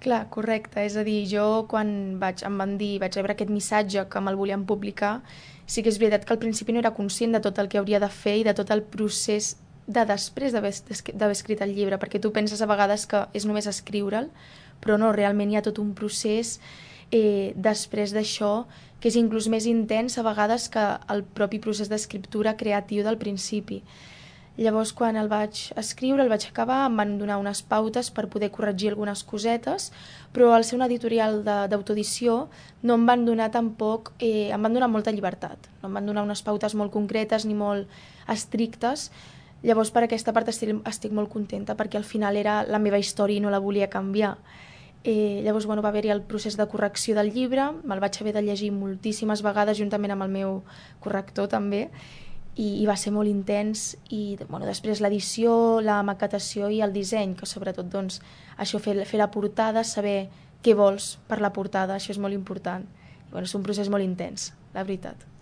Clar, correcte. És a dir, jo quan em van dir, vaig rebre aquest missatge que me'l volien publicar, sí que és veritat que al principi no era conscient de tot el que hauria de fer i de tot el procés de després d'haver escrit el llibre, perquè tu penses a vegades que és només escriure'l, però no, realment hi ha tot un procés després d'això que és inclús més intens a vegades que el propi procés d'escriptura creatiu del principi. Llavors, quan el vaig escriure, el vaig acabar, em van donar unes pautes per poder corregir algunes cosetes, però al ser un editorial d'autoedició no em van donar tampoc, em van donar molta llibertat. No em van donar unes pautes molt concretes ni molt estrictes. Llavors, per aquesta part estic molt contenta, perquè al final era la meva història i no la volia canviar. Llavors, bueno, va haver-hi el procés de correcció del llibre, me'l vaig haver de llegir moltíssimes vegades juntament amb el meu corrector també, i va ser molt intens i bueno, després l'edició, la maquetació i el disseny, que sobretot doncs, això fer la portada, saber què vols per la portada, això és molt important. I, bueno, és un procés molt intens, la veritat.